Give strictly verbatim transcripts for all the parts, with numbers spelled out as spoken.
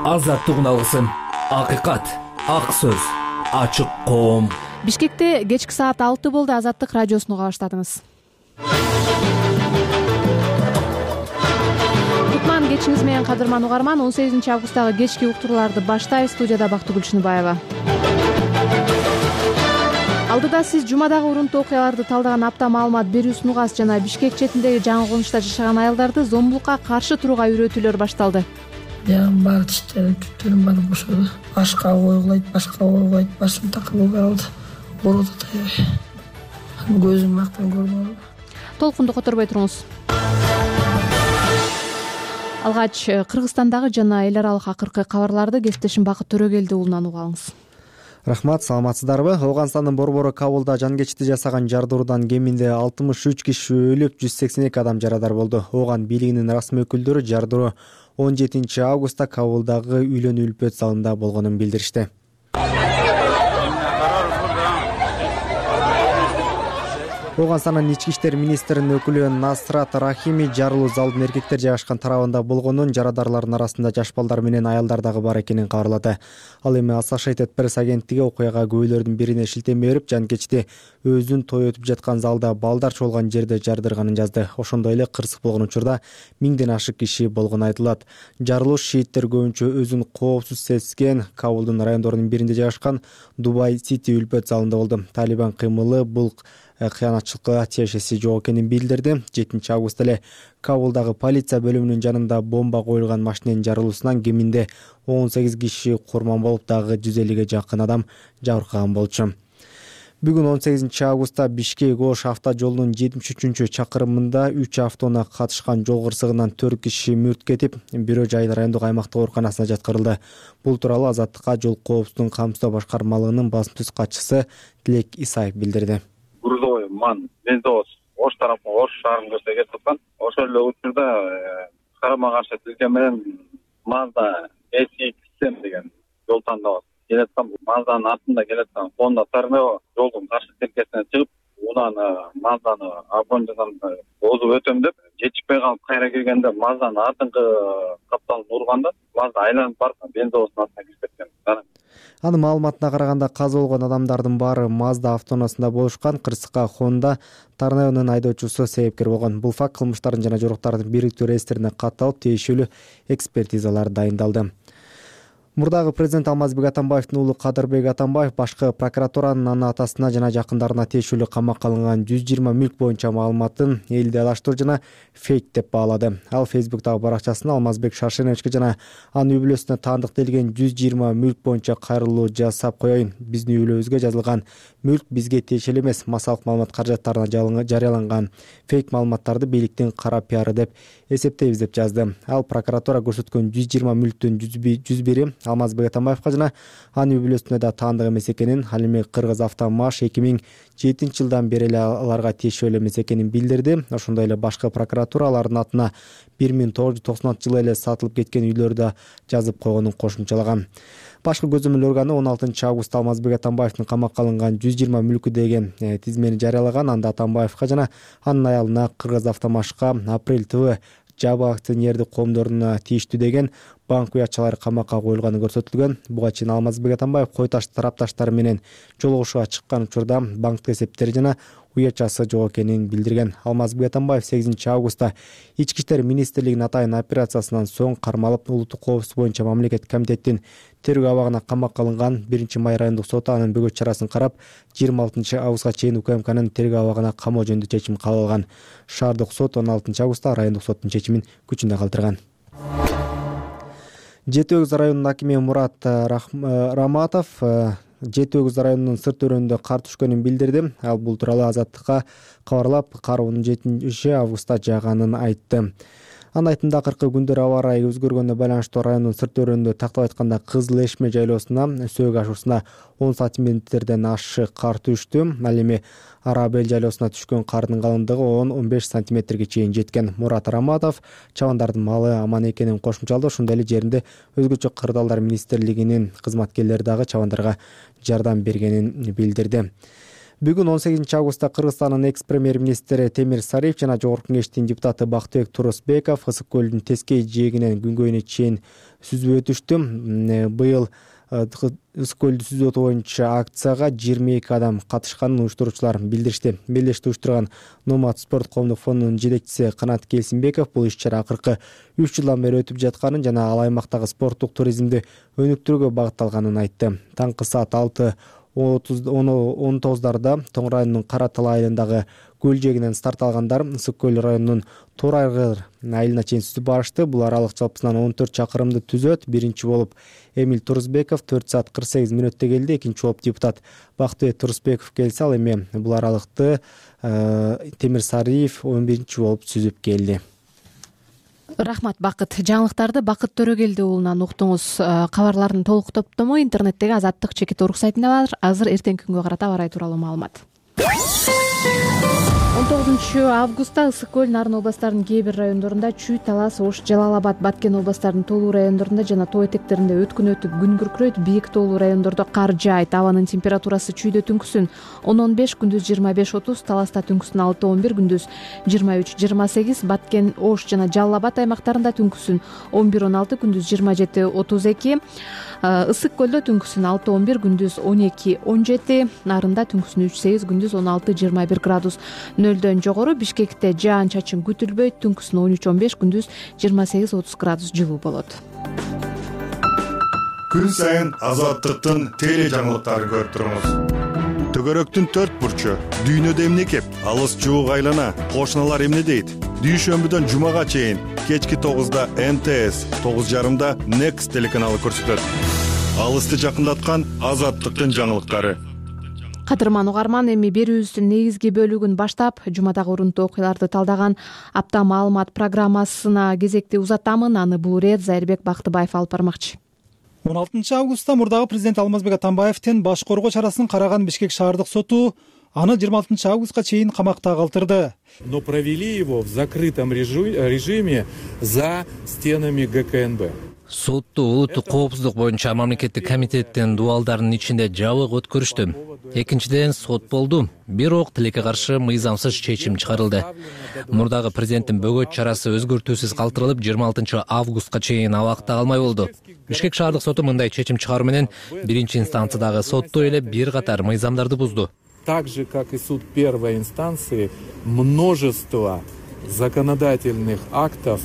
азаттык алгысым, акыйкат, ак сөз, ачык коом. Бишкекте кечки саат алты болду. Азаттык радиосуну уга баштадыңыз. Кутман кечиңиз менен кадырман угарман. он сегизинчи августтагы кечки уктурууларды баштайбыз. Студияда Бактыгүл Чыныбаева. Алдыда сиз жумадагы урунтуу окуяларды талдаган апта маалымат берүүсүн угасыз жана Бишкек четиндеги жаңы конушта жашаган аялдарды зомбулукка каршы турууга үйрөтүүлөр башталды. Ягым бар тиштери, түттөрүм баары бошоду. Башка ойгулайт, башка ойгулайт, башым такылып калды. Ооруду таябай. Көзүм актан көрбөдү. Толкунду которбой туруңуз. Алгач Кыргызстандагы жана эл аралык акыркы кабарларды кесиптешим Бакыт Төрөгелди уулунан уга алыңыз. Рахмат, саламатсыздарбы? Ооганстандын Борбору Кабулда жан кечти жасаган жардыруудан кеминде алтымыш үч киши өлүп, жүз сексен эки адам жарадар болду. Ооган бийлигинин расмий өкүлдөрү жардыруу он жетинчи августта Кабулдагы үйлөнүү үлпөт залында болгонун билдиришти. Ооганстандын ички иштер министринин өкүлү Насрат Рахими жарылуу залдын эркектер жайгашкан тарабында болгонун, жарадарлардын арасында жаш балдар менен аялдар дагы бар экенин кабарлады. Ал эми Associated Press агенттиги окуяга күбөлөрдүн бирине шилтеме берип, жанкечти өзүн той өтүп жаткан залда балдар чогулган жерде жардырганын жазды. Ошондой эле кырсык болгон учурда миңден ашык киши болгону айтылат. Жарылуу шииттер көбүнчө өзүн коопсуз сезген Кабулдун райондорунун биринде жайгашкан Дубай Сити үлпөт залында болду. Талибан кыймылы бул кыянатчылыкка тиешеси жок экенин билдирди. жетинчи августта эле Кабулдагы полиция бөлүмүнүн жанында бомба коюлган машиненин жарылуусунан кеминде он сегиз киши курман болуп, дагы жүз элүүгө жакын адам жабыркаган болчу. Бүгүн он сегизинчи августта Бишкек-Ош авто жолунун жетимиш үчүнчү чакырымында үч автоунаа катышкан жол кырсыгынан төрт киши мүрт кетип, бирөө жайыл райондук аймактык ооруканасына жаткырылды. Бул тууралуу Азаттыкка жол коопсуздугун камсыздоо башкармалыгынын басым түз катчысы Тилек Исаев билдирди. Грузовой ман бензовоз Ош тарапына, Ош шаарына көчкө кетип аткан. Ошол эле учурда карама каршы тилке менен Mazda эс икс семь деген жол тандабыз. Келаткан Мазданы артында келаткан Honda Tornado жолдун каршы тилкесине чыгып, унаны Мазданы обгонжадан озуп өтөм деп, жетишпей калып кайра келгенде Мазданы артыңкы капталын урганда, Mazda айланып барып бензовоздун артына кирип кеткен. Анын маалыматына караганда каза болгон адамдардын баары Mazda автоунаасында болушкан. Кырсыкка Honda Tornado'нун айдоочусу себепкер болгон. Бул факт кылмыштардын жана жоруктардын бириктүү реестрине катталып, тиешелүү экспертизалар дайындалды. Мурдагы президент Алмазбек Атамбаевдин уулу Кадырбек Атамбаев башкы прокуратуранын анын атасына жана жакындарына тиешелүү камакка алынган жүз жыйырма мүлк боюнча маалыматын элди адаштыруу жана фейк деп баалады. Ал Facebook'тагы баракчасында Алмазбек Шаршеновичке жана анын үй бүлөсүнө таандык делген жүз жыйырма мүлк боюнча кайрылуу жасап коеюн. Биздин үй бүлөбүзгө жазылган мүлк бизге тиешелүү эмес, массалык маалымат каражаттарына жарыяланган фейк маалыматтарды бийликтин кара пиары деп эсептейбиз деп жазды. Ал прокуратура көрсөткөн жүз жыйырма мүлктүн жүз бiri Алмазбек Атамбаевка жана анын үй бүлөсүнө да таандык эмес экенин, ал эми Кыргыз Автомаш эки миң жетинчи жылдан бери эле аларга тиешелүү эмес экенин билдирди. Ошондой эле башкы прокуратура алардын атына бир миң тогуз жүз токсонунчу жылы эле сатылып кеткен үйлөрдү да жазып койгонун кошумчалаган. Башкы көзөмөл органы он алтынчы августта Алмазбек Атамбаевдин камакка алынган жүз жыйырма мүлкү деген тизмени жарыялаган. Анда Атамбаевка жана анын аялына Кыргыз Автомашка Апрель ТВ жабык акционердик коомдоруна тииштүү деген банк уятчалары камакка коюлганы көрсөтүлгөн. Буга чейин Алмазбек Атамбаев кой таш тарапташтары менен жолугушууга чыккан учурда банктык эсептери жана уятчасы жок экенин билдирген. Алмазбек Атамбаев сегизинчи августта ички иштер министрлигинин атайын операциясынан соң кармалып, улуттук коопсуздук боюнча мамлекеттик комитеттин тергөө абагына камакка алынган. биринчи май райондук соту анын бөгөт чарасын карап, жыйырма алтынчы августка чейин УКМКнын тергөө абагына камоо жөнүндө чечим кабыл алган. Шаардык сот он алтынчы августта райондук соттун чечимин күчүндө калтырган. Жети Өгүз районунун акими Мурат Раматов Жети Өгүз районунун сырт өрөөнүндө кар түшкөнүн билдирди. Ал бул тууралуу Азаттыкка кабарлап, кар он жетинчи августта жааганын айтты. Анын айтымында акыркы күндөр аба ырайы өзгөргөнүнө байланыштуу райондун сырт өрөөнүндө тактап айтканда Кызыл Эшме жайлоосуна Сөөк ашуусуна он сантиметрден ашык кар түштү. Ал эми Арабел жайлоосуна түшкөн кардын калыңдыгы он он беш сантиметрге чейин жеткен. Мурат Раматов чабандардын малы аман экенин кошумчалады. Ошондой эле жеринде өзгөчө кырдаалдар министрлигинин кызматкерлери дагы чабандарга жардам бергенин билдирди. Бүгүн он сегизинчи августта Кыргызстандын экс премьер-министри Темир Сариев жана Жогорку Кеңештин депутаты Бактыбек Турусбеков Ысык көлдүн тескей жээгинен күнгөйүнө чейин сүзүп өтүштү. Быйыл Ысык көлдү сүзүп өтүү боюнча акцияга жыйырма эки адам катышканын уюштуруучулар билдиришти. Белдешти уюштурган Номад спорт коомдук фондунун жетекчиси Канат Келсинбеков бул иш-чара акыркы үч жылдан бери өтүп жатканын жана ал аймактагы спорттук туризмди өнүктүрүүгө багытталганын айтты. Таңкы саат алты он тогуздарда Тоң районунун Кара Талай айылындагы көл жээгинен старт алгандар Ысык көл районунун Тор Айгыр айылына чейин сүзүп барышты. Бул аралык жалпысынан он төрт чакырымды түзөт. Биринчи болуп Эмиль Турусбеков төрт саат кырк сегиз мүнөттө келди. Экинчи болуп депутат Бактыбек Турусбеков келсе, ал эми бул аралыкты Темир Сариев он биринчи болуп сүзүп келди. Рахмат Бакыт. Жаңылыктарды Бакыт Төрөгелди уулунан уктуңуз. Кабарлардын толук топтому интернеттеги Азаттык чекит орг сайтында бар. Азыр эртеңки күнгө карата аба ырайы тууралуу маалымат. он тогузунчу августта Ысык көл, Нарын областарынын кээ бир райондорунда Чүй, Талас, Ош, Жалал Абад, Баткен областарынын тоолуу райондорунда жана тоо этектеринде өткүн өтүп күн күркүрөйт. Бийик тоолуу райондордо кар жаайт. Абанын температурасы Чүйдө түнкүсүн он он беш, күндүз жыйырма беш отуз, Таласта түнкүсүн алты он бир, күндүз жыйырма үч жыйырма сегиз, Баткен, Ош жана Жалал Абад аймактарында түнкүсүн он бир он алты, күндүз жыйырма жети отуз эки, Ысык көлдө түнкүсүн алты он бир, күндүз он эки он жети, Нарында түнкүсүн үч сегиз, күндүз он алты жыйырма бир градус. Нөлдөн жогору Бишкекте жаан чачын күтүлбөйт. Түнкүсүн он үч он беш, күндүз жыйырма сегиз отуз градус жылуу болот. Күн сайын Азаттыктын теле жаңылыктарын көрүп туруңуз. Төгөрөктүн төрт бурчу, дүйнөдө эмне кеп, алыс жуук айлана, кошуналар эмне дейт? Дүйшөмбүдөн жумага чейин кечки тогузда Эн Тэ Эс, тогуз жарымда Next телеканалы көрсөтөт. Алысты жакындаткан Азаттыктын жаңылыктары. Кадырман угарман, эми берүүбүздүн негизги бөлүгүн баштап, жумадагы урунтуу окуяларды талдаган апта маалымат программасына кезекти узатамын. Аны бул ирет Зайырбек Бактыбаев алып бармакчы. он алтынчы августта мурдагы президент Алмазбек Атамбаевдин баш коргоо чарасын караган Бишкек шаардык соту аны жыйырма алтынчы августка чейин камакта калтырды. Но провели его в закрытом режиме за стенами Гэ Ка Эн Бэ. Сотту улуттук коопсуздук боюнча мамлекеттик комитеттин дубалдарынын ичинде жабык өткөрүштү. Экинчиден сот болду. Бирок тилекке каршы мыйзамсыз чечим чыгарылды. Мурдагы президенттин бөгөт чарасы өзгөртүүсүз калтырылып, жыйырма алтынчы августка чейин абакта калмай болду. Бишкек шаардык соту мындай чечим чыгаруу менен биринчи инстанциядагы сотто эле бир катар мыйзамдарды бузду. Так же, как и суд первой инстанции, множество законодательных актов.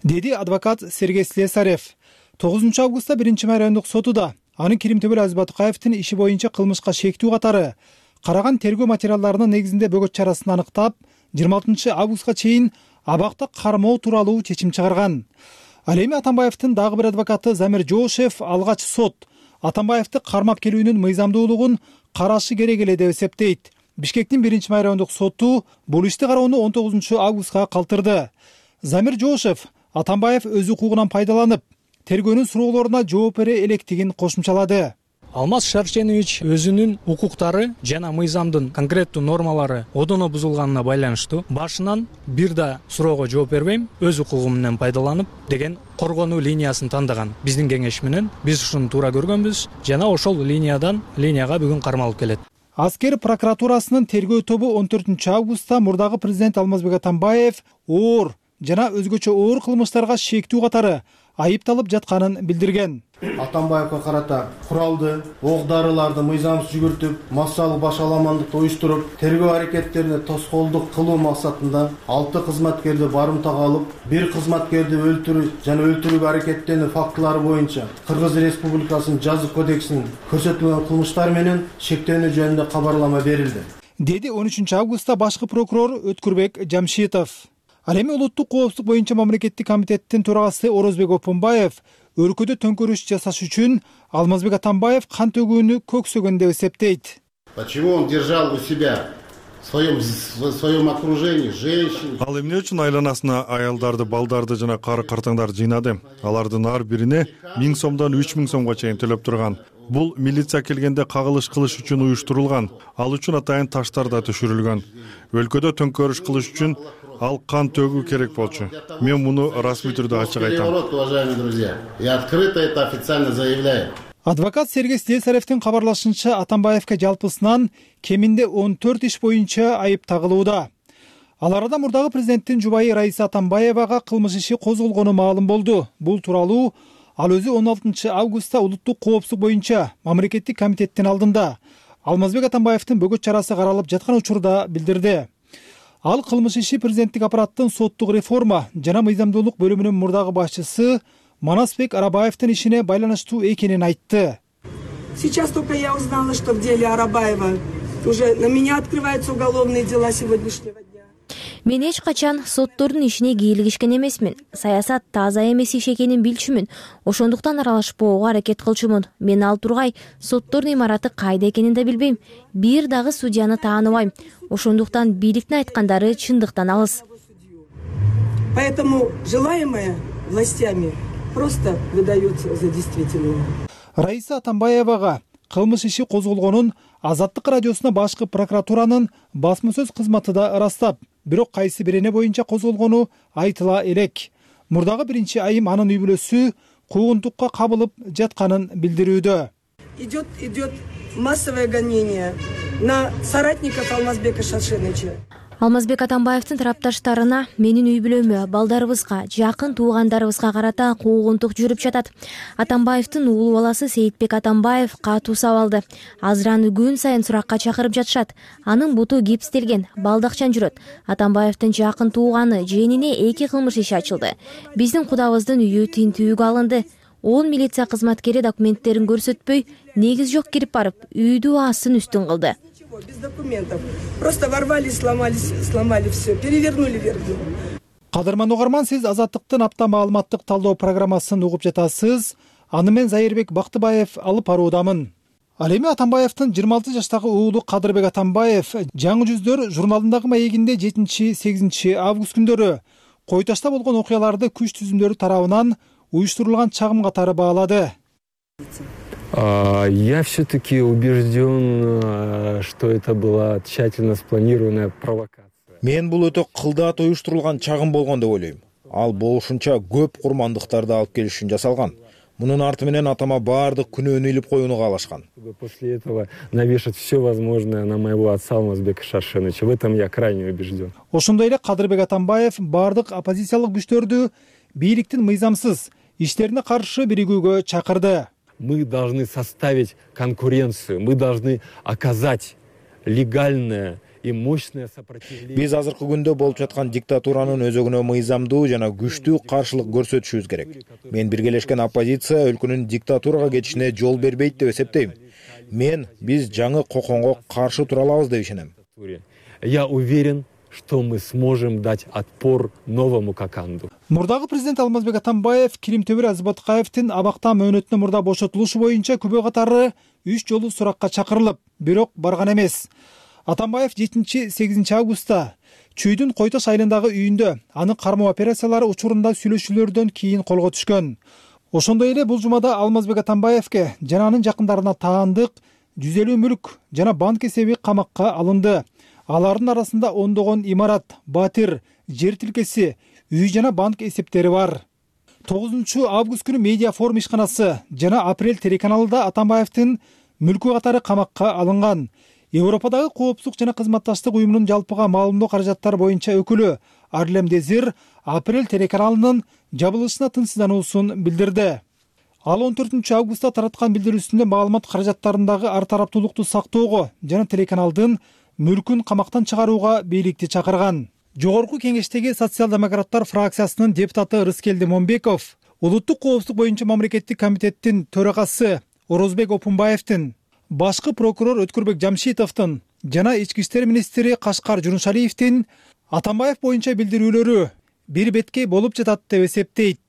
Деди адвокат Сергей Слесарев. тогузунчу августта биринчи май райондук сотуда анын Киримтөбөл Азиз Батыкаевдин иши боюнча кылмышка шектүү катары караган тергөө материалдарынын негизинде бөгөт чарасын аныктап, жыйырма алтынчы августка чейин абакта кармоо тууралуу чечим чыгарган. Ал эми Атамбаевдин дагы бир адвокаты Замир Жоошев алгач сот Атамбаевди кармап келүүнүн мыйзамдуулугун карашы керек эле деп эсептейт. Бишкектин биринчи май райондук соту бул ишти кароону он тогузунчу августка калтырды. Замир Жоошев Атамбаев өз укугунан пайдаланып, тергөөнүн суроолоруна жооп бере электигин кошумчалады. Алмаз Шарченович өзүнүн укуктары жана мыйзамдын конкреттүү нормалары одоно бузулганына байланыштуу башынан бир да суроого жооп бербейм, өз укугум менен пайдаланып деген коргонуу линиясын тандаган. Биздин кеңеш менен биз ушуну туура көргөнбүз жана ошол линиядан линияга бүгүн кармалып келет. Аскер прокуратурасынын тергөө тобу он төртүнчү августта мурдагы президент Алмазбек Атамбаев оор жана өзгөчө оор кылмыштарга шектүү катары айыпталып жатканын билдирген. Атамбаевга карата куралды, ок-дарыларды мыйзамсыз жүгүртүп, массалык башаламандыкты уюштуруп, тергөө аракеттерине тоскоолдук кылуу максатында алты кызматкерди барымтага алып, бир кызматкерди өлтүрүү жана өлтүрүүгө аракеттенүү фактылары боюнча Кыргыз Республикасынын жазык кодексинин көрсөтүлгөн кылмыштар менен шектөөнү жөнүндө кабарлама берилди. Деди он үчүнчү августта башкы прокурор Өткүрбек Жамшитов. Ал эми улуттук коопсуздук боюнча мамлекеттик комитеттин төрагасы Орозбек Опунбаев өлкөдө төңкөрүш жасаш үчүн Алмазбек Атамбаев кан төгүүнү көксөгөн деп эсептейт. Почему он держал у себя в своем в своем окружении женщин? Ал эмне үчүн айланасына аялдарды, балдарды жана кары картаңдарды жыйнады? Алардын ар бирине миң сомдон үч миң сомго чейин төлөп турган. Бул милиция келгенде кагылыш кылыш үчүн уюштурулган. Ал үчүн атайын таштар да түшүрүлгөн. Өлкөдө төңкөрүш кылыш үчүн ал кан төгүү керек болчу. Мен муну расмий түрдө ачык айтам. Уважаемые друзья, я открыто это официально заявляю. Адвокат Сергей Слесаревдин кабарлашынча, Атамбаевге жалпысынан кеминде он төрт иш боюнча айып тагылууда. Ал арада мурдагы президенттин жубайы Раиса Атамбаевага кылмыш иши козголгону маалым болду. Бул тууралуу ал өзү он алтынчы августта улуттук коопсуздук боюнча мамлекеттик комитеттин алдында Алмазбек Атамбаевдин бөгөт чарасы каралып жаткан учурда билдирди. Ал кылмыш иши президенттик аппараттын соттук реформа жана мыйзамдуулук бөлүмүнүн мурдагы башчысы Манасбек Арабаевдин ишине байланыштуу экенин айтты. Сейчас только я узнала, что в деле Арабаева уже на меня открываются уголовные дела сегодняшнего дня. Мен эч качан соттордун ишине кийлигишкен эмесмин. Саясат таза эмес иш экенин билчүмүн. Ошондуктан аралашпоого аракет кылчумун. Мен ал тургай соттордун имараты кайда экенин да билбейм. Бир дагы судьяны тааныбайм. Ошондуктан бийликтин айткандары чындыктан алыс. Поэтому желаемое властями просто выдается за действительное. Раиса Атамбаевага кылмыш иши козголгонун Азаттык радиосуна башкы прокуратуранын басма сөз кызматы да ырастап, бирок кайсы бирене боюнча козголгону айтыла элек. Мурдагы биринчи айым анын үй бүлөсү куугунтукка кабылып жатканын билдирүүдө. Идет, идет массовое гонение на соратников Алмазбека Шаршеновича. Алмазбек Атамбаевдин тарапташтарына, менин үй бүлөмө, балдарыбызга, жакын туугандарыбызга карата куугунтук жүрүп жатат. Атамбаевдин уулу баласы Сейитбек Атамбаев катуу сабалды. Азыр аны күн сайын суракка чакырып жатышат. Анын буту гипстелген, балдакчан жүрөт. Атамбаевдин жакын тууганы жээнине эки кылмыш иши ачылды. Биздин кудабыздын үйү тинтүүгө алынды. он милиция кызматкери документтерин көрсөтпөй, негиз жок кирип барып, үйдү астын үстүн кылды. Без документов. Просто ворвали, сломали, сломали все, перевернули вверх. Кадырман угарман, сиз Азаттыктын апта маалыматтык талдоо программасын угуп жатасыз. Аны мен Зайырбек Бактыбаев алып баруудамын. Ал эми Атамбаевдин жыйырма алты жаштагы уулу Кадырбек Атамбаев Жаңы жүздөр журналындагы маегинде жетинчи сегизинчи август күндөрү Кой Ташта болгон окуяларды күч түзүмдөрү тарабынан уюштурулган чагым катары баалады. Я все-таки убежден, что это была тщательно спланированная провокация. Мен бул өтө кылдаат уюштурулган чагым болгон деп ойлойм. Ал болушунча көп курмандыктарды алып келиш үчүн жасалган. Мунун арты менен атама баардык күнөөнү илип коюуну каалашкан. После этого навешать все возможное на моего отца Алмазбека Шаршеновича. В этом я крайне убежден. Ошондой эле Кадырбек Атамбаев баардык оппозициялык күчтөрдү бийликтин мыйзамсыз иштерине каршы биригүүгө чакырды. Мы должны составить конкуренцию, мы должны оказать легальное и мощное сопротивление. Биз азыркы күндө болуп жаткан диктатуранын өзөгүнө мыйзамдуу жана күчтүү каршылык көрсөтүшүбүз керек. Мен биргелешкен оппозиция өлкөнүн диктатурага кетишине жол бербейт деп эсептейм. Мен биз жаңы коконго каршы тура алабыз деп ишенем. Я уверен, что мы сможем дать отпор новому Коканду. Мурдагы президент Алмазбек Атамбаев Килимтөбүр Азбатыкаевдин абакта мөөнөтүнө мурда бошотулушу боюнча күбө катары үч жолу суракка чакырылып, бирок барган эмес. Атамбаев жетинчи сегизинчи августта Чүйдүн Кой Таш айылындагы үйүндө аны кармоо операциялары учурунда сүйлөшүүлөрдөн кийин колго түшкөн. Ошондой эле бул жумада Алмазбек Атамбаевге жана анын жакындарына таандык жүз элүү мүлк жана банк эсеби камакка алынды. Алардын арасында ондогон имарат, батир, жер тилкеси, үй жана банк эсептери бар. тогузунчу август күнү Медиа форум ишканасы жана Апрель телеканалында Атамбаевдин мүлкү катары камакка алынган. Европадагы коопсуздук жана кызматташтык уюмунун жалпыга маалымдоо каражаттары боюнча өкүлү Арлем Дезир Апрель телеканалынын жабылышына тынчсыздануусун билдирди. Ал он төртүнчү августта тараткан билдирүүсүндө маалымат каражаттарындагы ар тараптуулукту сактоого жана телеканалдын мүлкүн камактан чыгарууга бийликти чакырган. Жогорку кеңештеги социал-демократтар фракциясынын депутаты Рыскелди Момбеков улуттук коопсуздук боюнча мамлекеттик комитеттин төрагасы Орозбек Опунбаевдин, башкы прокурор Өткүрбек Жамшитовдун жана ички иштер министри Кашкар Жунушалиевдин Атамбаев боюнча билдирүүлөрү бир беткей болуп жатат деп эсептейт.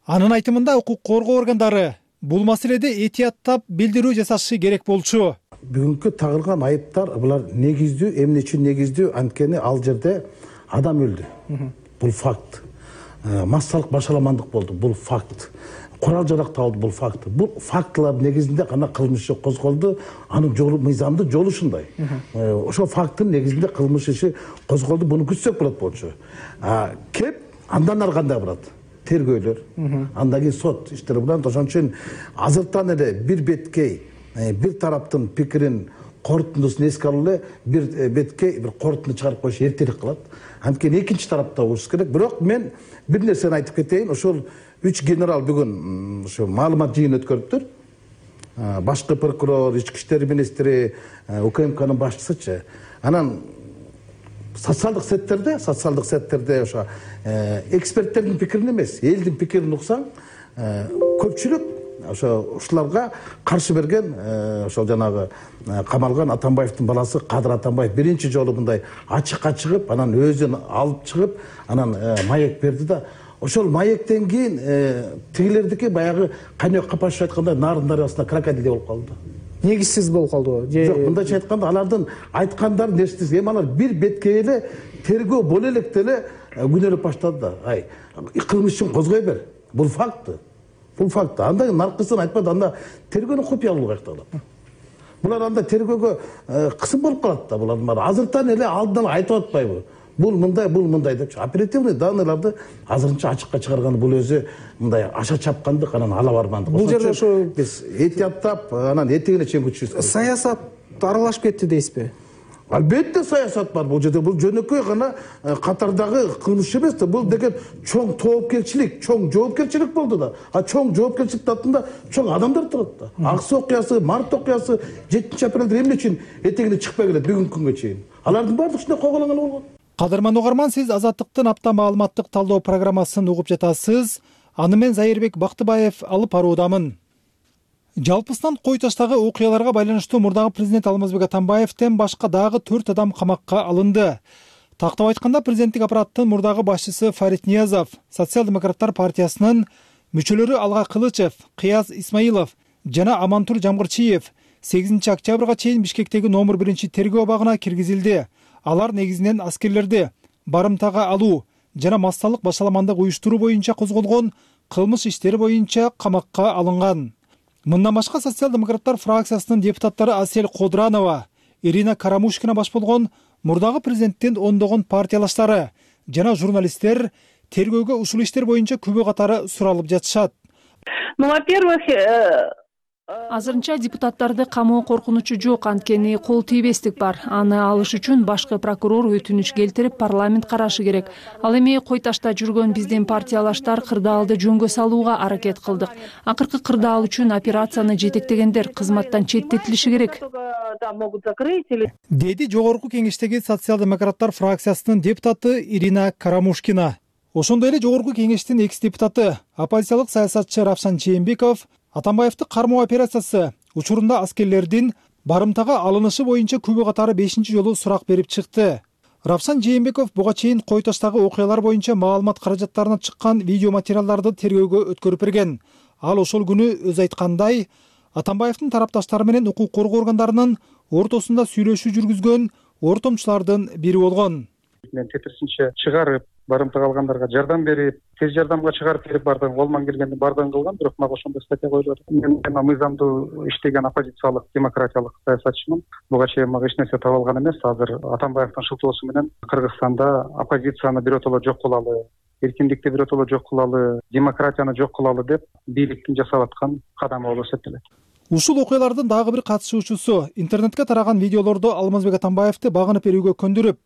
Анын айтымында укук коргоо органдары бул маселеде этияттап билдирүү жасашы керек болчу. Бүгүнкү тагылган айыптар булар негиздүү, эмне үчүн негиздүү? Анткени ал жерде адам өлдү. Бул факт. Массалык башаламандык болду. Бул факт. Курал жарак табылды. Бул факт. Бул фактылар негизинде гана кылмыш иши козголду. Анын жолу мыйзамдуу жолу ушундай. Ошол факттын негизинде кылмыш иши козголду. Буну күтсөк болот болчу. Кеп андан ары кандай барат? тергөөлөр, андан кийин сот иштери булат. Ошон үчүн азыртан эле бир беткей бир тараптын пикирин корутундусун эске алып эле бир беткей бир корутунду чыгарып коюш эртерээк кылат. Анткени экинчи тарапта болуш керек. Бирок мен бир нерсени айтып кетейин. Ошол үч генерал бүгүн ошо маалымат жыйын өткөрүптүр. Башкы прокурор, ички иштер министри, УКМКнын башчысычы. Анан социалдык сеттерде, социалдык сеттерде ошо эксперттердин пикирин эмес, элдин пикирин уксаң, көпчүлүк ошо ушуларга каршы берген, ошол жанагы камалган Атамбаевдин баласы Кадыр Атамбаев биринчи жолу мындай ачыкка чыгып, анан өзүн алып чыгып, анан маек берди да. Ошол маектен кийин тигилердики баягы Канек Капашев айткандай Нарын дарыясына крокодил болуп калды. Негизсиз болуп калдыбы? Жок, мындайча айтканда алардын айткандары нерсесиз. Эми алар бир беткей эле тергөө боло электе эле күнөөлөп баштады да. Ай, кылмыш үчүн козгой бер. Бул факт. Бул факт. Анда наркысын айтпады, анда тергөөнү купуялуу каякталат. Булар анда тергөөгө кысым болуп калат да. Булардын баары азыртан эле алдынан айтып атпайбы? Бул мындай, бул мындай депчи. Оперативный данныйларды азырынча ачыкка чыгарган бул өзү мындай аша чапкандык, анан ала бармандык. Бул жерде ошо биз этияттап, анан этегине чейин күчүбүз. Саясат аралашып кетти дейсизби? Албетте саясат бар бул жерде. Бул жөнөкөй гана катардагы кылмыш эмес да. Бул деген чоң тоопкерчилик, чоң жоопкерчилик болду да. А чоң жоопкерчиликтин артында чоң адамдар турат да. Аксы окуясы, март окуясы жетинчи апрелде эмне үчүн этегине чыкпай келет бүгүнкү күнгө чейин? Алардын баардыгы ушундай койгойлонгон болгон. Кадырман угарман, сиз Азаттыктын апта маалыматтык талдоо программасын угуп жатасыз. Аны мен Зайырбек Бактыбаев алып баруудамын. Жалпысынан кой таштагы окуяларга байланыштуу мурдагы президент Алмазбек Атамбаевден башка дагы төрт адам камакка алынды. Тактап айтканда, президенттик аппараттын мурдагы башчысы Фарид Ниязов, Социал-демократтар партиясынын мүчөлөрү Алга Кылычев, Кыяз Исмаилов жана Амантур Жамгырчиев сегизинчи октябрга чейин Бишкектеги номер биринчи тергөө абагына киргизилди. Алар негизинен аскерлерди барымтага алуу жана массалык башаламандык уюштуруу боюнча козголгон кылмыш иштери боюнча камакка алынган. Мындан башка социал-демократтар фракциясынын депутаттары Асель Кодранова, Ирина Карамушкина баш болгон мурдагы президенттин ондогон партиялаштары жана журналисттер тергөөгө ушул иштер боюнча күбө катары суралып жатышат. Ну, во-первых, Азырынча депутаттарды камоо коркунучу жок, анткени кол тийбестик бар. Аны алыш үчүн башкы прокурор өтүнүч келтирип, парламент карашы керек. Ал эми кой ташта жүргөн биздин партиялаштар кырдаалды жөнгө салууга аракет кылдык. Акыркы кырдаал үчүн операцияны жетектегендер кызматтан четтетилиши керек, деди жогорку кеңештеги социал-демократтар фракциясынын депутаты Ирина Карамушкина. Ошондой эле жогорку кеңештин экс-депутаты, оппозициялык саясатчы Равшан Жээнбеков Атамбаевди кармоо операциясы учурунда аскерлердин барымтага алынышы боюнча күбө катары бешинчи жолу сурак берип чыкты. Равшан Жээнбеков буга чейин кой таштагы окуялар боюнча маалымат каражаттарына чыккан видео материалдарды тергөөгө өткөрүп берген. Ал ошол күнү өзү айткандай, Атамбаевдин тарапташтары менен укук коргоо органдарынын ортосунда сүйлөшүү жүргүзгөн ортомчулардын бири болгон. Мен тетирсинче чыгарып, барымтага алгандарга жардам берип, тез жардамга чыгарып берип бардым, колуман келгенди бардыгын кылган, бирок мага ошондой статья коюлуп атат. Мен мыйзамдуу иштеген оппозициялык, демократиялык саясатчымын. Буга чейин мага эч нерсе таба алган эмес. Азыр Атамбаевдин шылтоосу менен Кыргызстанда оппозицияны биротоло жок кылалы, эркиндикти биротоло жок кылалы, демократияны жок кылалы деп бийликтин жасап аткан кадамы болуп эсептелет. Ушул окуялардын дагы бир катышуучусу интернетке тараган видеолорду Алмазбек Атамбаевди багынып берүүгө көндүрүп,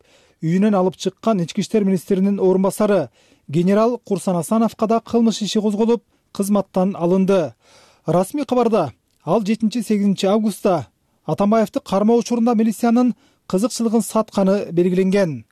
үйүнөн алып чыккан ички иштер министринин орун басары генерал Курсан Асановго да кылмыш иши козголуп, кызматтан алынды. Расмий кабарда ал жетинчи сегизинчи августта Атамбаевди кармоо учурунда милициянын кызыкчылыгын сатканы белгиленген.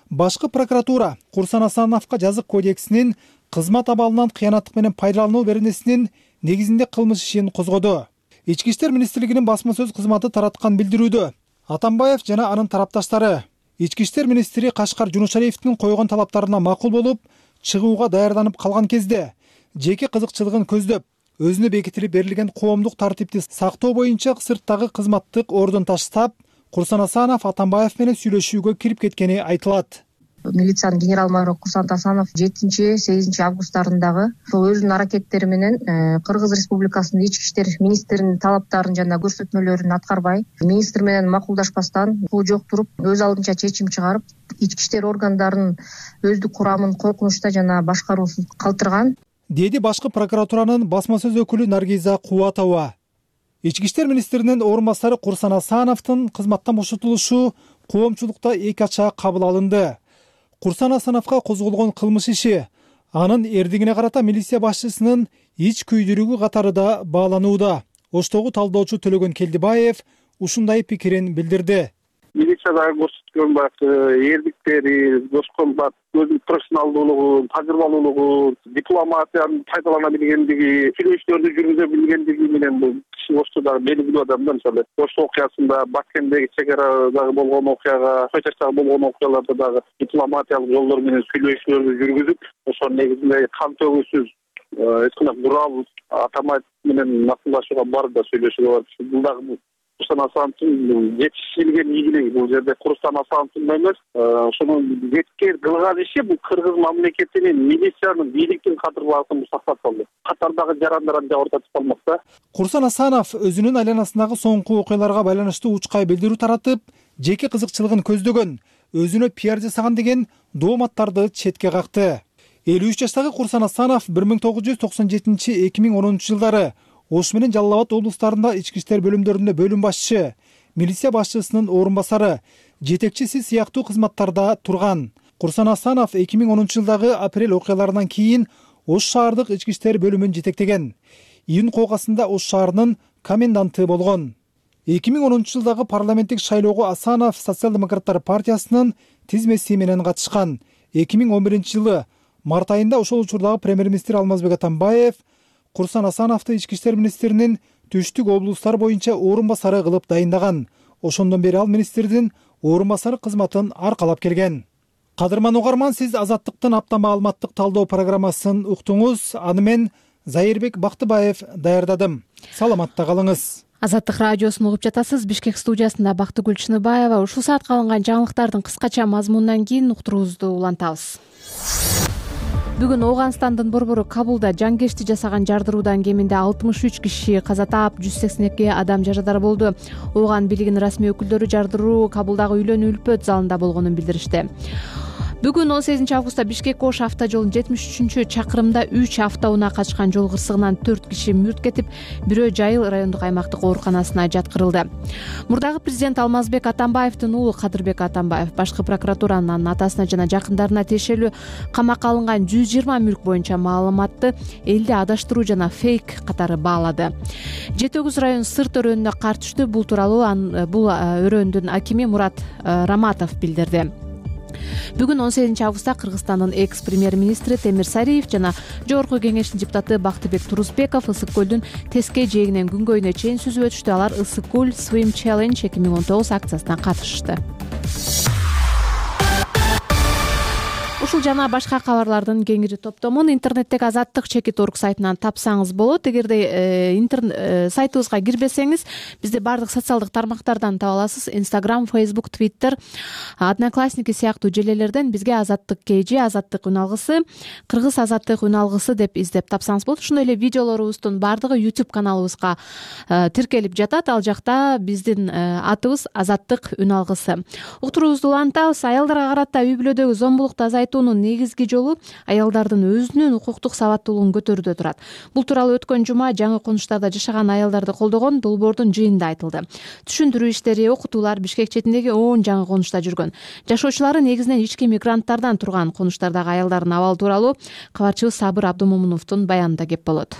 Башкы прокуратура Курсан Асановго жазык кодексинин кызмат абалынан кыянаттык менен пайдалануу беренесинин негизинде кылмыш ишин козгоду. Ички иштер министрлигинин басма сөз кызматы тараткан билдирүүдө Атамбаев жана анын тарапташтары Ички иштер министри Кашкар Жунушалиевдин койгон талаптарына макул болуп, чыгууга даярданып калган кезде жеке кызыкчылыгын көздөп, өзүнө бекитилип берилген коомдук тартипти сактоо боюнча сырттагы кызматтык ордун таштап, Курсан Асанов Атамбаев менен сүйлөшүүгө кирип кеткени айтылат. Милициянын генерал-майору Курсан Асанов жетинчи сегизинчи августтарындагы ошол өзүнүн аракеттери менен Кыргыз Республикасынын ички иштер министринин талаптарын жана көрсөтмөлөрүн аткарбай, министр менен макулдашпастан бул жок туруп, өз алдынча чечим чыгарып, ички иштер органдарынын өздүк курамын коркунучта жана башкаруусуз калтырган. деди башкы прокуратуранын басма сөз өкүлү Наргиза Кубатова. Ички иштер министринин орун басары Курсан Асановдун кызматтан бошотулушу коомчулукта эки ачаа кабыл алынды. Курсан Асановго козголгон кылмыш иши анын эрдигине карата милиция башчысынын ич күйдүрүүгү катары да бааланууда. Оштогу талдоочу Төлөгөн Келдибаев ушундай пикирин билдирди. Милициядагы көрсөткөн баягы эрдиктери, көчкөнбат, өзүнүн профессионалдуулугун, тажрыйбалуулугун, дипломатияны пайдалана билгендиги, сүйлөшүүлөрдү жүргүзө билгендиги менен бул киши Оштодагы белгилүү адам да. Мисалы, Ошто окуясында, Баткендеги чек арадагы болгон окуяга, Чачачтагы болгон окуяларда дагы дипломатиялык жолдор менен сүйлөшүүлөрдү жүргүзүп, ошонун негизинде кан төгүүсүз эч кандай бурал атамайт менен макулдашууга барды да сүйлөшүүгө барып. Бул дагы Курсан Асановдун жетишилген ийгилиги. Бул жерде Курсан Асановдун эмес, ошонун жеткер кылган иши бул кыргыз мамлекетинин милициянын, бийликтин кадырларын сактап калды. Катардагы жарандарын да ортотуп калмакта. Курсан Асанов өзүнүн айланасындагы соңку окуяларга байланыштуу учкай билдирүү таратып, жеке кызыкчылыгын көздөгөн, өзүнө пиар жасаган деген дооматтарды четке какты. элүү үч жаштагы Курсан Асанов бир миң тогуз жүз токсон жетинчи — эки миң онунчу жылдары Ош менен Жалал Абад облустарында ички иштер бөлүмдөрүндө бөлүм башчы, милиция башчысынын орун басары, жетекчиси сыяктуу кызматтарда турган. Курсан Асанов эки миң онунчу жылдагы апрель окуяларынан кийин Ош шаардык ички иштер бөлүмүн жетектеген. Июнь кокасында Ош шаарынын коменданты болгон. эки миң онунчу жылдагы парламенттик шайлоого Асанов Социал-демократтар партиясынын тизмеси менен катышкан. эки миң он биринчи жылы март айында ошол учурдагы премьер-министр Алмазбек Атамбаев Курсан Асановду ички иштер министринин түштүк облустар боюнча орун басары кылып дайындаган. Ошондон бери ал министрдин орун басары кызматын аркалап келген. Кадырман угарман, сиз Азаттыктын апта маалыматтык талдоо программасын уктуңуз. Аны мен Зайырбек Бактыбаев даярдадым. Саламатта калыңыз. Азаттык радиосун угуп жатасыз. Бишкек студиясында Бактыгүл Чыныбаева. Ушул саатка алынган жаңылыктардын кыскача мазмунунан кийин уктуруубузду улантабыз. Бүгүн Ооганстандын борбору Кабулда жангешти жасаган жардыруудан кеминде алтымыш үч киши каза таап, жүз сексен эки адам жарадар болду. Ооган бийлигинин расмий өкүлдөрү жардыруу Кабулдагы үйлөнүү үлпөт залында болгонун билдиришти. Бүгүн он сегизинчи августта Бишкек-Ош автожолунун жетимиш үчүнчү чакырымда үч автоунаа качкан жол кырсыгынан төрт киши мүрт кетип, бирөө Жайыл райондук аймактык ооруканасына жаткырылды. Мурдагы президент Алмазбек Атамбаевдин уулу Кадырбек Атамбаев башкы прокуратуранын анын атасына жана жакындарына тиешелүү камакка алынган жүз жыйырма мүлк боюнча маалыматты элди адаштыруу жана фейк катары баалады. жети огуз район Сырт өрөөнүнө кар түштү. Бул тууралуу бул өрөөндүн акими Мурат Раматов билдирди. Бүгүн он сегизинчи августта Кыргызстандын экс-премьер-министри Темир Сариев жана Жогорку кеңештин депутаты Бактыбек Турузбеков Ысык көлдүн Теске жээгинен күнгөйүнө чейин сүзүп өтүштү. Алар Ысык көл Swim Challenge эки миң он тогуз акциясына катышты. Ушул жана башка кабарлардын кеңири топтомун интернеттеги Азаттык чекит орг сайтынан тапсаңыз болот. Эгерде интернет сайтыбызга кирбесеңиз, бизди бардык социалдык тармактардан таба аласыз. Instagram, Facebook, Twitter, Одноклассники сыяктуу желелерден бизге Азаттык кж, Азаттык үн алгысы, Кыргыз Азаттык үн алгысы деп издеп тапсаңыз болот. Ошондой эле видеолорубуздун бардыгы YouTube каналыбызга тиркелип жатат. Ал жакта биздин атыбыз Азаттык үн алгысы. Уктуруубузду улантабыз. Аялдарга карата үй бүлөдөгү зомбулукту азайтуунун негизги жолу аялдардын өзүнүн укуктук сабаттуулугун көтөрүүдө турат. Бул тууралуу өткөн жума жаңы конуштарда жашаган аялдарды колдогон долбоордун жыйынында айтылды. Түшүндүрүү иштери, окутуулар Бишкек четиндеги он жаңы конушта жүргөн. Жашоочулары негизинен ички мигранттардан турган конуштардагы аялдардын абалы тууралуу кабарчыбыз Сабыр Абдумомуновдун баянында кеп болот.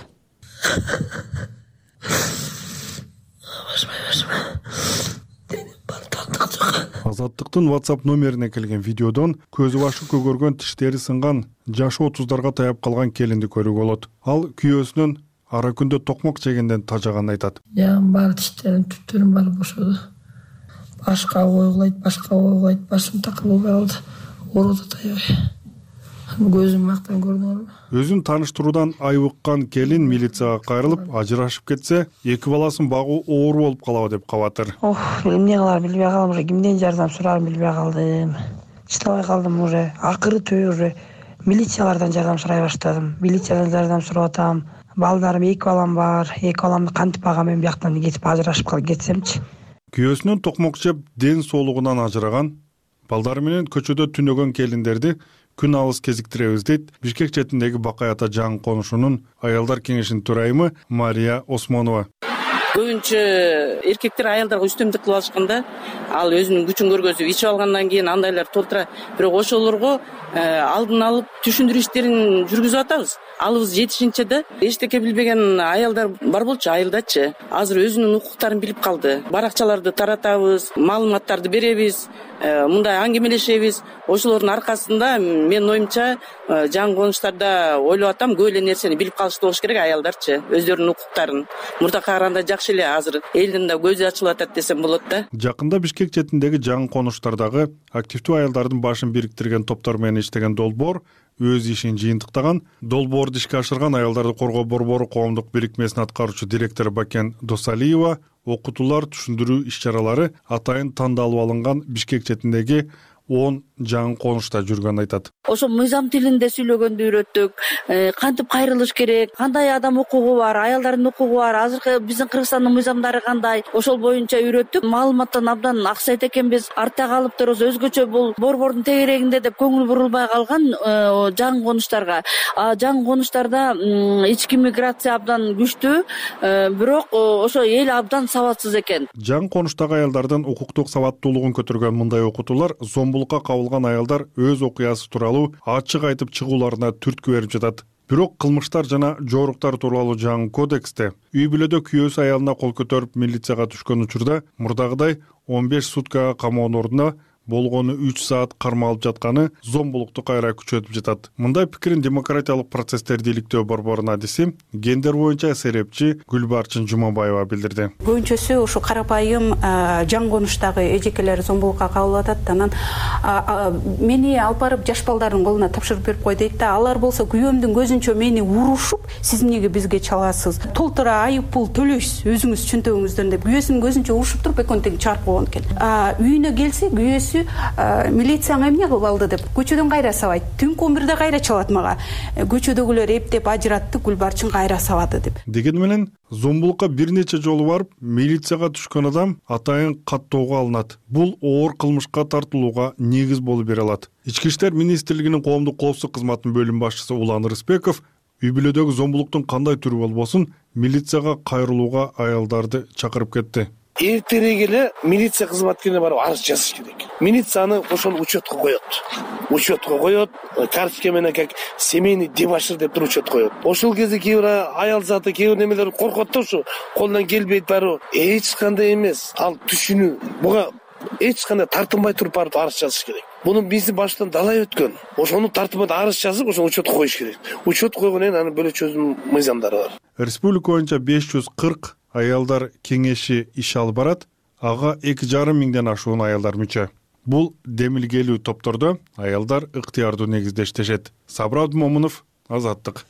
Азаттыктын WhatsApp номерине келген видеодон көзү башы көгөргөн, тиштери сынган, жашы отуздарга таяп калган келинди көрүүгө болот. Ал күйөөсүнүн ара күндө токмок жегенден тажаганын айтат. Жагым бар, тиштерим, түптөрүм бар бошоду. Башка ойгулайт, башка ойгулайт, башым такылып калды. Ооруду таябай. Көзүм мактан көрдүм. Өзүн тааныштыруудан айбыккан келин милицияга кайрылып, ажырашып кетсе, эки баласын багуу оор болуп калабы деп кабатыр. Ох, эмне кыларым билбей калдым, уже кимден жардам сурарымды билбей калдым. Чыдабай калдым уже. Акыры түбү уже милициялардан жардам сурай баштадым. Милициядан жардам сурап атам. Балдарым, эки балам бар. Эки баламды кантип багам, мен бияктан кетип ажырашып калып кетсемчи. Күйөөсүнөн токмок жеп, ден соолугунан ажыраган, балдары менен көчөдө түнөгөн келиндерди күн алыс кезиктиребиз дейт Бишкек четиндеги Бакай ата жаңы конушунун аялдар кеңешинин төрайымы Мария Осмонова. Көбүнчө эркектер аялдарга үстөмдүк кылып алышканда, ал өзүнүн күчүн көргөзүп ичип алгандан кийин андайлар толтура. Бирок ошолорго алдын алып түшүндүрүү иштерин жүргүзүп атабыз. Алыбыз жетишинче да эчтеке билбеген аялдар бар болчу, айылдачы. Азыр өзүнүн укуктарын билип калды. Баракчаларды таратабыз, маалыматтарды беребиз, мындай аңгемелешебиз. Ошолордун аркасында менин оюмча жаңы конуштарда ойлоп атам, көп эле нерсени билип калышты болуш керек аялдарчы, өздөрүнүн укуктарын. Мурдакка караганда жакшы эле азыр элдин да көзү ачылып атат десем болот да. Жакында Бишкек четиндеги жаңы конуштардагы активдүү аялдардын башын бириктирген топтор менен иштеген долбоор өз ишин жыйынтыктаган. Долбоорду ишке ашырган аялдарды коргоо борбору коомдук бирикмесинин аткаруучу директору Бакен Досалиева окутуулар, түшүндүрүү иш-чаралары атайын тандалып алынган Бишкек четиндеги он жаңы конушта жүргөнүн айтат. Ошо мыйзам тилинде сүйлөгөндү үйрөттүк, кантип кайрылыш керек, кандай адам укугу бар, аялдардын укугу бар, азыркы биздин Кыргызстандын мыйзамдары кандай, ошол боюнча үйрөттүк. Маалыматтан абдан аксайт экенбиз, артта калып турубуз. Өзгөчө бул борбордун тегерегинде деп көңүл бурулбай калган жаңы конуштарга. Жаңы конуштарда ички миграция абдан күчтүү, бирок ошо эл абдан сабатсыз экен. Жаңы конуштагы аялдардын укуктук сабаттуулугун көтөргөн мындай окутуулар зомбулукка кабылган аялдар өз окуясы тууралуу ачык айтып чыгууларына түрткү берип жатат. Бирок кылмыштар жана жоруктар тууралуу жаңы кодексте үй бүлөдө күйөөсү аялына кол көтөрүп милицияга түшкөн учурда мурдагыдай он беш суткага камоонун ордуна болгону үч саат кармалып жатканы зомбулукту кайра күчөтүп жатат. Мындай пикирин демократиялык процесстерди иликтөө борборунун адиси, гендер боюнча серепчи Гүлбарчын Жумабаева билдирди. Көбүнчөсү ушу карапайым жаңы конуштагы эжекелер зомбулукка кабылып атат. Анан мени алып барып жаш балдардын колуна тапшырып берип кой дейт да. Алар болсо күйөөмдүн көзүнчө мени урушуп, сиз эмнеге бизге чаласыз? Толтура айып пул төлөйсүз, өзүңүз чөнтөгүңүздөн деп күйөөсүнүн көзүнчө урушуп туруп экөөнтең чыгарып койгон экен. Үйүнө келсе күйөөсү милицияң эмне кылып алды деп көчөдөн кайра сабайт. Түнкү он бирде кайра чалат мага. Көчөдөгүлөр эптеп ажыратты, Гүлбарчын кайра сабады деп. Деген менен зомбулукка бир нече жолу барып, милицияга түшкөн адам атайын каттоого алынат. Бул оор кылмышка тартылууга негиз болуп бере алат. Ички иштер министрлигинин коомдук коопсуздук кызматынын бөлүм башчысы Улан Рыспеков үй бүлөдөгү зомбулуктун кандай түрү болбосун милицияга кайрылууга аялдарды чакырып кетти. Эртерээк эле милиция кызматкерине барып арыз жазыш керек. Милиция аны ошону учетко коет. Учетко коет, карточка менен как семейный дебошир деп туруп учет коет. Ошол кезде кээ бир аял заты, кээ бир немелер коркот да, ушу колунан келбейт барып. Эч кандай эмес. Ал түшүнүү. Буга эч кандай тартынбай туруп барып арыз жазыш керек. Муну биздин баштан далай өткөн. Ошону тартынбай арыз жазып, ошону учетко коюш керек. Учет койгондон кийин анын бөлөчө өзүнүн мыйзамдары бар. Республика боюнча беш жүз кырк аялдар кеңеши иш алып барат. Ага эки жарым миңден ашуун аялдар мүчө. Бул демилгелүү топтордо аялдар ыктыярдуу негизде иштешет. Сабыр Абдымомунов, Азаттык.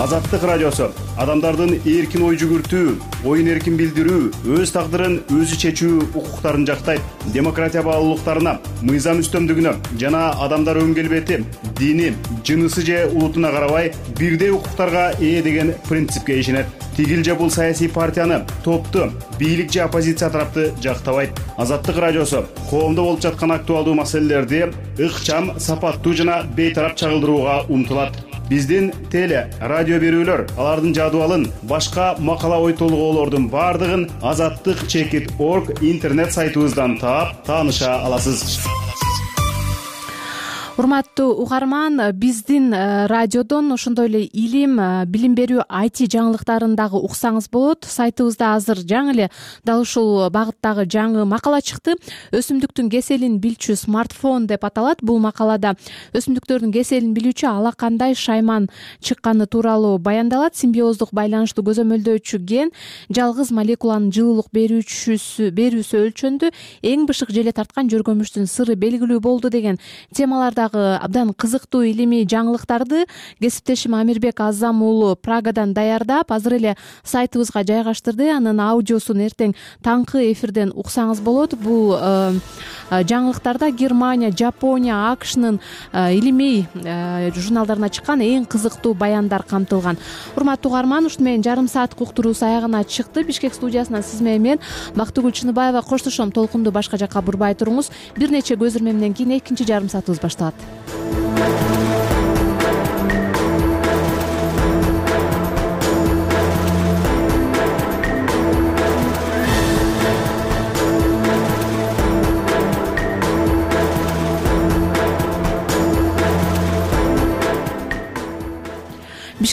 Азаттык радиосу адамдардын эркин ой жүгүртүү, оюн эркин билдирүү, өз тагдырын өзү чечүү укуктарын жактайт. Демократия баалуулуктарына, мыйзам үстөмдүгүнө жана адамдар өн келбети, дини, жынысы же улутуна карабай бирдей укуктарга ээ деген принципке ишенет. Тигил же бул саясий партияны, топту, бийлик же оппозиция тарапты жактабайт. Азаттык радиосу коомдо болуп жаткан актуалдуу маселелерди ыкчам, сапаттуу жана бейтарап чагылдырууга умтулат. Биздин теле, радио берүүлөр, алардын жадыбалын, башка макала ой толгоолордун бардыгын азаттык чекит точка орг интернет сайтыбыздан таап, тааныша аласыз. Урматтуу угарман, биздин радиодон ошондой эле илим, билим берүү ай ти жаңылыктарын дагы уксаңыз болот. Сайтыбызда азыр жаңы эле дал ушул багыттагы жаңы макала чыкты. Өсүмдүктүн кеселин билчү смартфон деп аталат. Бул макалада өсүмдүктөрдүн кеселин билүүчү ала кандай шайман чыкканы тууралуу баяндалат. Симбиоздук байланыштуу көзөмөлдөөчү ген жалгыз молекуланын жылуулук берүүчүсү берүүсү өлчөндү. Эң бышык желе тарткан жөргөмүштүн сыры белгилүү болду деген темаларда жөнүндөгү абдан кызыктуу илимий жаңылыктарды кесиптешим Амирбек Азам уулу Прагадан даярдап азыр эле сайтыбызга жайгаштырды. Анын аудиосун эртең таңкы эфирден уксаңыз болот. Бул жаңылыктарда Германия, Жапония, АКШнын илимий журналдарына чыккан эң кызыктуу баяндар камтылган. Урматтуу угарман, ушуну менен жарым сааттык уктуруубуз аягына чыкты. Бишкек студиясынан сиз менен мен Бактыгүл Чыныбаева коштошом. Толкунду башка жакка бурбай туруңуз. Бир нече көзүрмемден кийин экинчи жарым саатыбыз башталат.